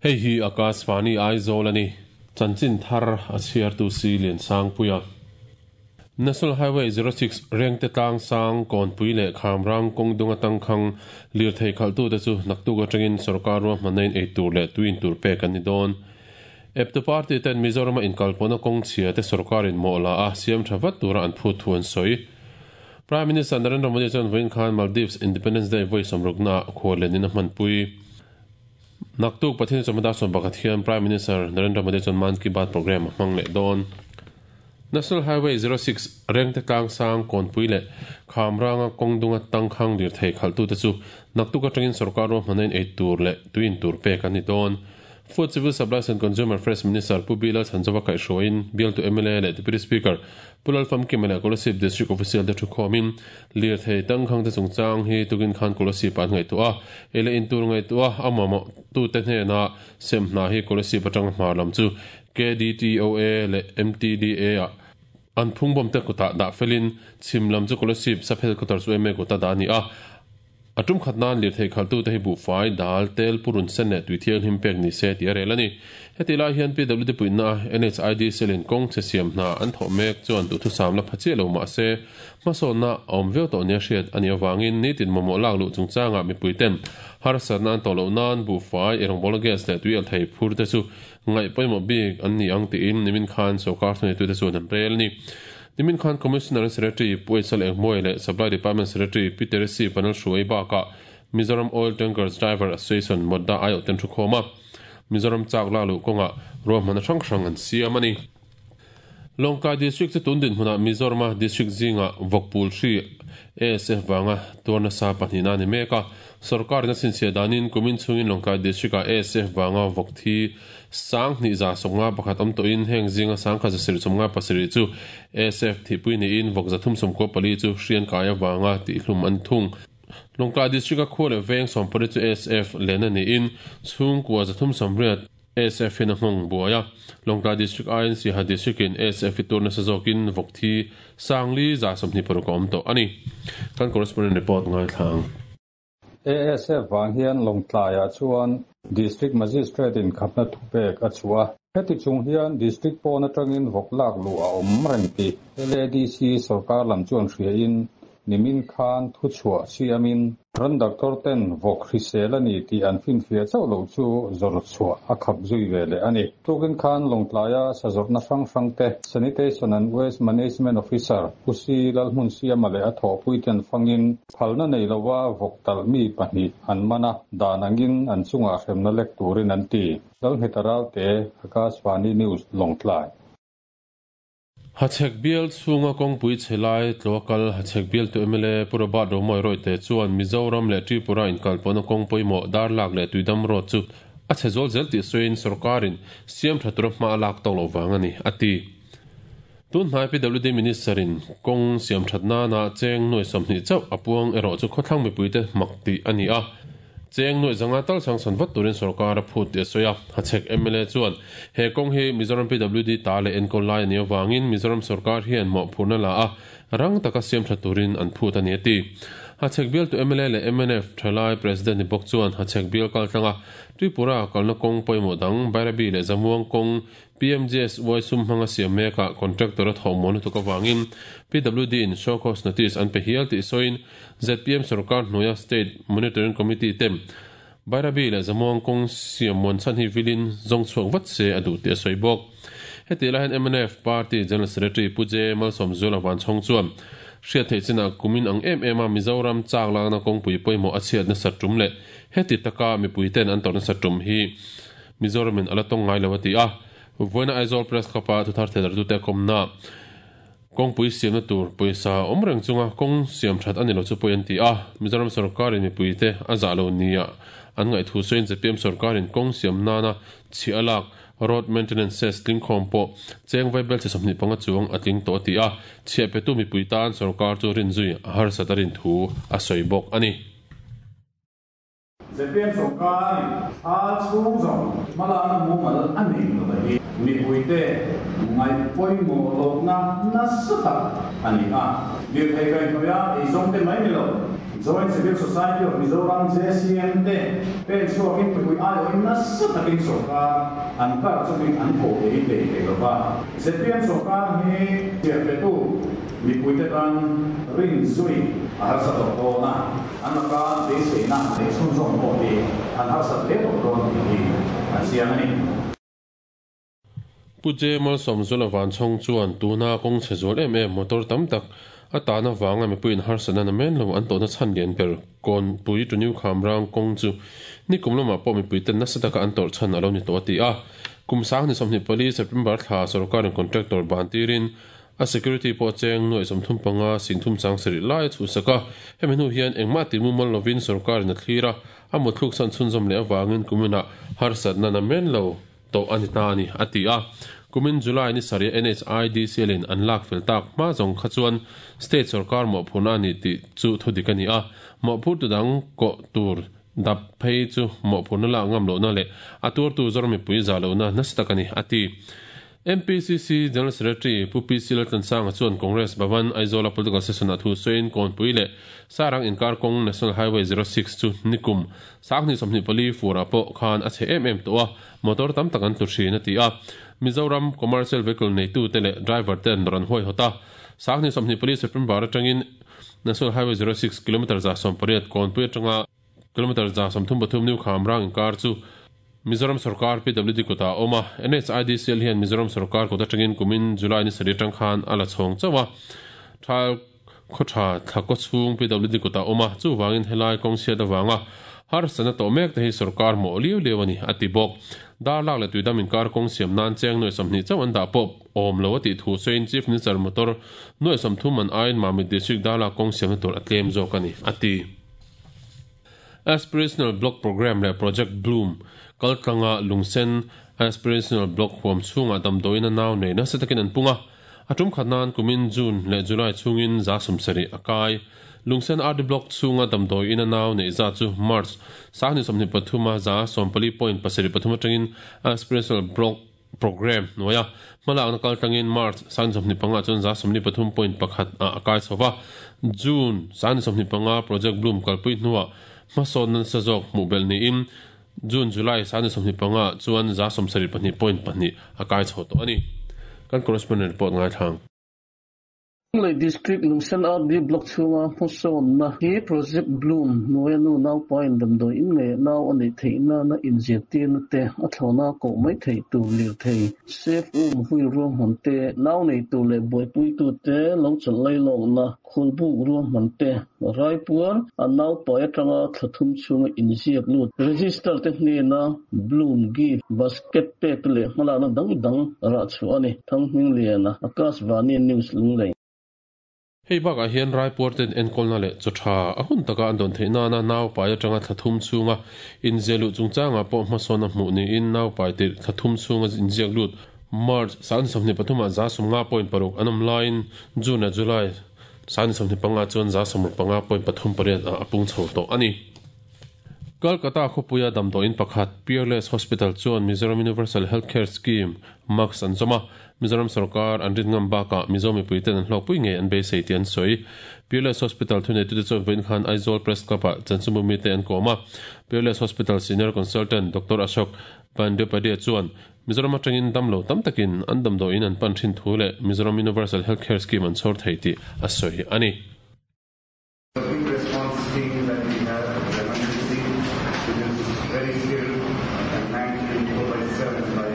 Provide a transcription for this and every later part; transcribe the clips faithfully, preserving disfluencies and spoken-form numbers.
Hei hi Akashvani Aizawl a ni. Chanchin thar a chhiartu si Lian Sangpuia. National Highway zero six Rengte tlang sang Kawnpui leh Khamrang kawng dung atang khang lirthei khalhtute chu naktuk atangin sorkar ruahmanna in ei tur leh tuin tur pek an ni dawn. Eptu party ten Mizorama inkalpawhna kawng chhia te sorkarin mawh la a siam tha vat tura an phut thu an sawi. Prime Minister Narendra Modi chuan vawiin khan Maldives Independence Day vawi sawmrukna khuallenin a hmanpui. Naktuk Pathian chawhma sawm pakhat hian Prime Minister Narendra Modi chuan Mann Ki Baat program a hmang leh dawn. National Highway zero six Rengte tlang sang Kawnpui leh Khamranga kawng dunga tangkhang lirthei khalhtute chu naktuk atangin sorkar ruahmanna in ei tur leh tuin tur pek an ni dawn. Food Civil Supplies and Consumer Affairs Minister Pu Bilal Chhanzova kaihhruaiin bialtu M L A leh Deputy Speaker Pu Lalfamkima leh Kolasib District Official te thukhawmin lirthei tangkhang te chungchang hi tukin khan Kolasib an ngaihtuah a, ei leh in tur ngaihtuah a mamawh tute hnena sem hna hi Kolasib atanga hmar lam chu K D T O A leh M T D A ah an phungbawm te kutah dah felin chhim lam chu Kolasib sub headquarters U M A kuta dah a ni a. A tum khat nan lirthei khalhtute hi buhfai dal tel purun sen leh tuithiang hlim pek ni se tih a rel a ni. Heti lai hian P W D puihna N H I D selin kawng che siam hna an thawh mek chuan duhthusam la pha chiah lo mah se hmasawnna a awm viau tawh nia hriat a nih avangin nitin mamawh lak luh chungchangah mipui ten harsatna an tawh loh nan buhfai erawngbawl gas leh tui althei phur te chu ngaih pawimawh bik an ni ang tiin nimin khan sorkar thuneitute chuan an rel a ni. Nimin Khan Commissioner Secretary Pu Aisal Engmawia leh Supply Department Secretary Peter C. Panel Hruai bakah Mizoram Oil Tankers Driver Association Modda aiawh ten thukhawm a, Mizoram chak lak luh kawngah ruahmanna hrang hrang an siam a ni. Lawngtlai District chu tun dinhmunah Mizorama District zingah vawkpul hri A S F vanga tuar nasa pahnihna a ni mek a. Sorkarin a chhinchhiah danin kumin chhungin Lawngtlai District-ah A S F vanga vawk thi sang hnih za sawmnga pakhat awm tawhin heng zinga sang kha zasarih sawmnga pasarih chu A S F thihpui niin vawk zathum sawmkua pali chu hrian kai avanga tihhlum an thung. Lawngtlai District-a khua leh veng sawmpali chu A S F lehna niin chhungkua zathum sawmriat A S F in a nghawng buai a. Lawngtlai District I N C ha District in A S F i tur nasa zawkin vawk thi sangli za sawmhnih paruk a awm tawh a ni. Kan correspondent report ngai thlang. A S F wang hian Lawngtlaiah chuan District Magistrate in khapna thupek a chhuah. Heti chung hian District pawn atangin vawk lak lu a awm reng ti L A D C sarkar lam chuan hria in nimin khan thu chhuah siamin ran doctor ten vawk hrisel ani ti an fin fia chauh lo chu zawr chhuah a khap zui ve leh ani. Tukin khan Lawngtlaia sazawrhna hrang hrang te Sanitation and Waste Management Officer Pusi Lalhmun siama leh a thawhpui ten fangin phalna nei lowa vawk talh mi pahnih an mana dan angin an chungah hremna lek turin an ti. Lalnghet te Akashvani News Lawngtlai. Hachhek bial chhunga kawngpui chhelai tlawkal Hachhek bial tu M L A Pu Robert Romawia Royte chuan Mizoram leh Tripura inkalpawhna kawngpui mawh dar lak leh tuidam road chu a chhe zawl zel tih sawiin sorkarin siam tha tura hma a lak tawk lo vang a ni a ti. Tun hnai P W D Minister in kawng siam that nana cheng nuai sawmhnih chauh a puang erawh chu khawthlang mipuite mak tih a ni a. Cheng nuai zanga tal sang san vat turin sarkar a phut ti a sawi a. Hachhek M L A chuan he kawng hi Mizoram P W D ta leh enkawl lai a ni awangin Mizoram sarkar hian mawh phurna la a rang taka siam tha turin an phut a ni a ti. Hachhek bial tu M L A leh M N F thalai President ni bawk chuan Hachhek bial kal tlanga Tripura kalna kawng pawimawh dang Bairabi leh Zamuang kawng P M G S Y sum hmanga siam mekah contractor a thawh muan lutuk awangin P W D in show cause notice an pe hial tih sawiin Z P M sarkar hnuaia State Monitoring Committee tem Bairabi leh Zamuang kawng siam muan chan hi vilin zawng chhuak vat se a duh tih a sawi bawk. Heti lai hian M N F Party General Secretary Pu J Malsawm Zuala van chhawng chuan hriat theih chinah kumin ang em em a Mizoram chak lakna kawngpui pawimawh a chhiat nasa tum leh heti taka mipui ten an tawrh nasa tum hi Mizoramin ala tawng ngai lo a ti a. Voina Aizawl Press Club-a thuthar thedar tute kawmna kawngpui siamna tur pawisa awm reng chunga kawng siam that ani lo chu pawi an ti a. Mizoram sarkarin mipuite a zah lo nia an ngaih thu sawiin Z P M sarkarin kawng siam nana chhi a lak road maintenance cess tling khawm pawh cheng vai bel che sawmhnih panga chuang a tling tawh a ti a. Chhiah petu mipui tan sarkar chu rin zui a harsat a rin thu a sawi bawk a ni. Z P M sarkarin a chhung zawng hmalakna mumal a nei lo hi mipuite ngai pawimawh lohna nasa tak a ni a. Lirthei kaihhnawih a ei zawng te mai ni lo Joint Civil Society of Mizoram J C M te pen chhuakin mipui aiawhin nasa takin sorkar an kar chungin an ko ei hlei thei lova. Z P M sorkar hi chiahpetu mipui te tan rin zui a harsa tawh dawn a, an laka beiseina leh chhunzawm pawh hi an harsa hle tawh dawn tih hi a chiang a ni. Pu J Malsawmzula Vanchhawng chuan tuna kawng chhe zual em em motor tam tak a tana wanga mipuiin harsatna na men lo an tawhna chhan lian ber Kawnpui to New Khamrang kawng chu nikum lamah pawh mipui ten nasa taka an tawrh chhan a lo ni tawh a ti a. Kum sang ni sawmhnih pali September thla sorkarin contractor ban tirin a security pawh cheng nuai sawmthum panga singthum chang sarih lai a chhuhsak a. Hemi hnu hian engmah ti mumal lovin sorkarin a thlir a, a muthluk san chhunzawm leh avangin kuminah harsatna na men lo tawh a ni ta a ni a ti a. Kumin July ni sarih N H I D C L in an lak fel tak hma zawng kha chuan state sarkar mawhphurna a ni tih chu thudik a ni a. Mawhphur tu dang kawh tur dap phei chu mawhphurna lak ngam lohna leh a tuartu zawr mipui za lohna nasa tak a ni a ti. M P C C General Secretary Pu P C Laltlansanga chuan Congress Bhavan Aizawl political session a thu sawiin Kawnpui leh Sarang inkar kawng National Highway zero six chu nikum sanghnih sawmhnih pali furah pawh khan a chhe em em tawh a, motor tam tak an tlu thin a ti a. Mizoram commercial vehicle neitu te leh driver ten rawn huai hawt a. Sanghnih sawmhnih pali September atangin National Highway zero six kilometer za sawm pariat Kawnpui atanga kilometer za sawmthum pathum New Khamrang inkar chu Mizoram sarkar P W D kutah a awm a. N H I D C L hian Mizoram sarkar kut atangin kumin July ni sarih atang khan a la chhawng chauh a. Thal khawtha thlakaw chhung P W D kutah a awm a, chuwangin helai kawng chhiat awanga harsatna tawh mek te hi sarkar mawh liau liau a ni a ti bawk. Darlak leh tuidam inkar kawng siam nan cheng nuai sawmhnih chauh an dah pawh awm lo a tih thu sawiin Chief Minister motor nuai sawmthum an aiin Mamit District Darlak kawng siamna tur a tlem zawk a ni a ti. Aspirational Block Program leh Project Bloom kaltlanga Lungsen Aspirational Block huam chhungah damdawiin a nau nei nasa takin an pung a. A tum khat nan kumin June leh July chhungin za sawmsarih a kai. Lungsen R D Block chhunga damdawiin a nau nei za chu March sanghnih sawmhnih pathuma za sawmpali point pasarih pathum atangin Aspirational Block Program hnuaia hmalakna kaltlangin March sanghnih sawmhnih panga chuan za sawmli pathum point pakhat a a kai chho va. June sanghnih sawmhnih panga Project Bloom kalpui hnuah hmasawn nasa zawk hmuh belh niin June July sanghnih sawmhnih panga chuan za sawmsarih pahnih point pahnih a kai chho tawh a ni. Kan correspondent report ngai thlang. Lunglei District Lungsen R D Block chhunga hmasawnna hi Project Bloom hnuaia nu naupain damdawi in ngei nau a neih theihna na inzirtirna te a thlawna koh mai thei tur lir thei safe um wheel ruahman te nau nei tur leh buaipui tu te lo chawlh lai lawkna khulbuk ruahman te raipuar a naupai atanga thlathum chhunga inziak lut register te hnena Bloom gift basket pek leh hmalakna dang dang rah chhuah a ni. Thanghming Liana, Akashvani News Lunglei. Hei bakah hian raipuar ten enkawlna leh chaw tha a hun taka an dawn theihna na naupai atanga thlathum chhunga inziak lut chungchangah pawh hmasawn a hmuh niin naupai tirh thlathum chhunga inziak lut March sanghnih sawmhnih pathumah za sawmnga point paruk an awm laiin June leh July sanghnih sawmhnih panga chuan za sawmruk panga point pathum pariat ah a pung chho tawh a ni. Kolkata khawpuia damdawiin pakhat Peerless Hospital chuan Mizoram Universal Healthcare Scheme Max an zawm a. Mizoram sarkar an rin ngam bakah Mizo mipui ten an hlawkpui ngei an beisei tih an sawi. Peerless Hospital thuneitu te chuan vawiin khan Aizawl Press Club ah chanchinbumi te an kawm a. Peerless Hospital Senior Consultant Doctor Ashok Bandyopadhyay chuan Mizoram atangin dam lo tam takin an damdawiin an pan thin thu leh Mizoram Universal Healthcare Scheme an chhawr thei tih a sawi a ni. The quick response team that we have at the emergency, which is very skilled and manned twenty-four by seven by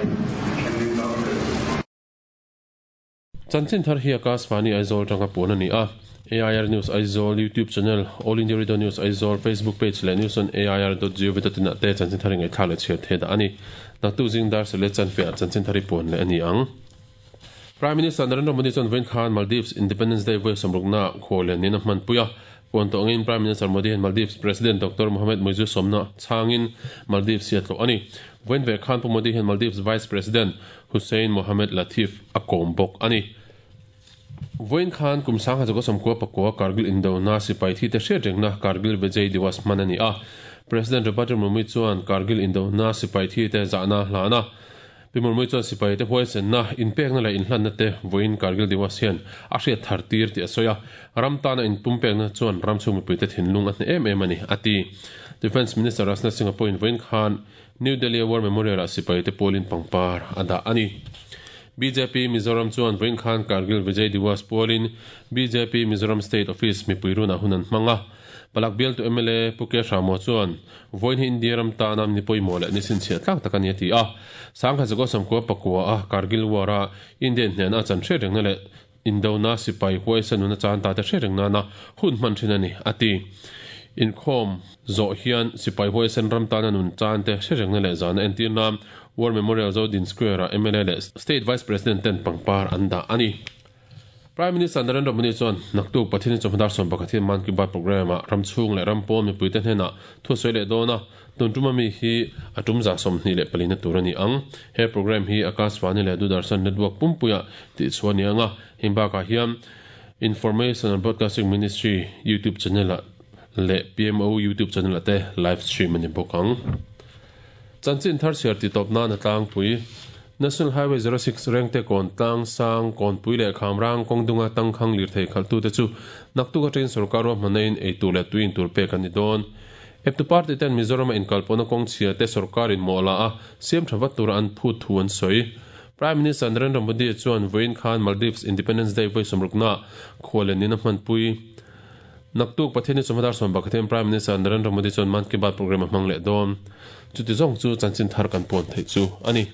Indian doctors. Chanchin thar hi Akashvani Aizawl tanga puan a ni a. A I R News Aizawl YouTube channel, All India Radio News Aizawl Facebook page leh news on A I R dot gov dot in ah te chanchin thar ngai thla leh chhiar the dah a ni. Naktu zing dar sele chan fe ah chanchin thari puan leh a ni ang. Prime Minister Narendra Modi chuan vawiin khan Maldives Independence Day vawi sawmrukna khaw leh nin a hman pui a. Puan tawh angin Prime Minister Modi hian Maldives President Doctor Mohamed Muizzu sawmna changin Maldives hi a tlawh a ni. Vawiin ve khan Pu Modi hian Maldives Vice President Hussein Mohamed Latif a kawm bawk a ni. Vawiin khan kum sangha chawka sawmkua pakua Kargil Indona sipai thi te hriat rengna Kargil Vijay Diwas hman a ni a. President Draupadi Murmu chuan Kargil Indona sipai thi te zahna hlana. Pimur mui chuan sipai te huai sen na in pek na la in hlan na te voin Kargil Diwas hian a hriat thar tir ti a soya ram ta na in pum pek na chuan ram chung mipui te thinlung a hne em em ani ati. Defense Minister Rajnath Singh point voin khan New Delhi War Memorial a sipai te polin pangpar ada ani. B J P Mizoram chuan voin khan Kargil Vijay Diwas polin B J P Mizoram State Office mipuiruna hunan hmanga palak bial tu M L A Puke Ramo chuan voin hi India ram ta nam ni pawimawh leh ni chhinchhiah tlak tak ani a ti a sangkha zago samkua pakua a Kargil War a Indian hnena chan hre reng na leh Indona sipai huai sanuna chan ta te hre reng na na hun hman thin ani ati. Inkhawm zawh hian sipai huai san ram ta na nun chan te hre reng na leh zana entir na War Memorial Zodin Square a M L A leh State Vice President ten pangpar an dah ani. Prime Minister Narendra Modi chuan naktuk Pathian chawhmadar sawm pakhat hian Man Ki Baat program a ramchhung leh rampawn mipui te hnena thu sawi leh dawn a tun tuma mi hi a tum za sawmhnih leh palina tur ani ang. He program hi Akashvani leh Doordarshan Network pumpuia tih chuan ni anga him bakah hian Information and Broadcasting Ministry YouTube channel a leh P M O YouTube channel a te live stream ani bawk ang. Chanchin thar chhiar ti tawp nan a tlangpui National Highway zero six Rengte Kawn Tlang Sang Kawnpui leh Khamrang kawngdunga tangkhang lir thei khaltu te chu naktuk atangin sarkar ruah hmanain eitur leh tuin tur pek ani dawn. Eptu party ten Mizoram a inkalpawna kawng chhia te sarkarin mawh la a siam tha vat tura an phut thu an sawi. Prime Minister Narendra Modi chuan vawiin khan Maldives Independence Day vawi sawmrukna khualen in a hmanpui. Naktuk Pathian chawhmadar sawm pakhat hian Prime Minister Narendra Modi chuan Man Ki Baat program a hmang leh dawn. Chuti zawng chu chanchin thar kan pawn theih chu ani.